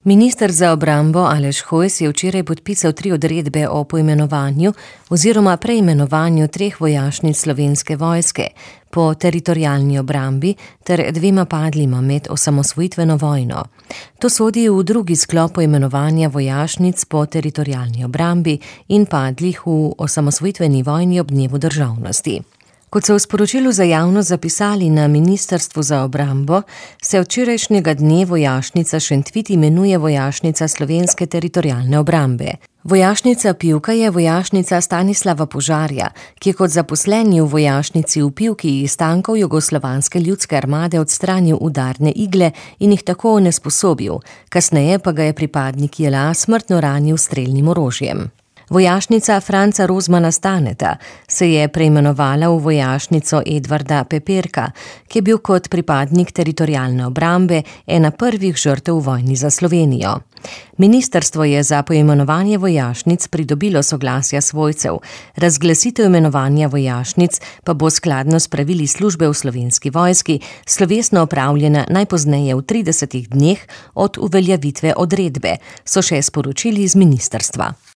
Minister za obrambo Aleš Hojs je včeraj podpisal 3 odredbe o poimenovanju oziroma preimenovanju 3 vojašnic Slovenske vojske po teritorialni obrambi ter 2 padlima med osamosvojitveno vojno. To sodi v drugi sklop poimenovanja vojašnic po teritorialni obrambi in padlih v osamosvojitveni vojni ob dnevu državnosti. Kot so v sporočilu za javnost zapisali na Ministrstvu za obrambo, se od včerajšnjega dne vojašnica Šentvid imenuje vojašnica Slovenske teritorialne obrambe. Vojašnica Pivka je vojašnica Stanislava Požarja, ki je kot zaposleni v vojašnici v Pivki iz tankov Jugoslovanske ljudske armade odstranil udarne igle in jih tako onesposobil, kasneje pa ga je pripadnik JLA smrtno ranil s strelnim orožjem. Vojašnica Franca Rozmana Staneta se je preimenovala v vojašnico Edvarda Peperka, ki je bil kot pripadnik teritorialne obrambe ena prvih žrtev v vojni za Slovenijo. Ministrstvo je za poimenovanje vojašnic pridobilo soglasja svojcev, razglasitev imenovanja vojašnic pa bo skladno s pravili službe v Slovenski vojski slovesno opravljena najpozneje v 30 dneh od uveljavitve odredbe, so še sporočili iz ministrstva.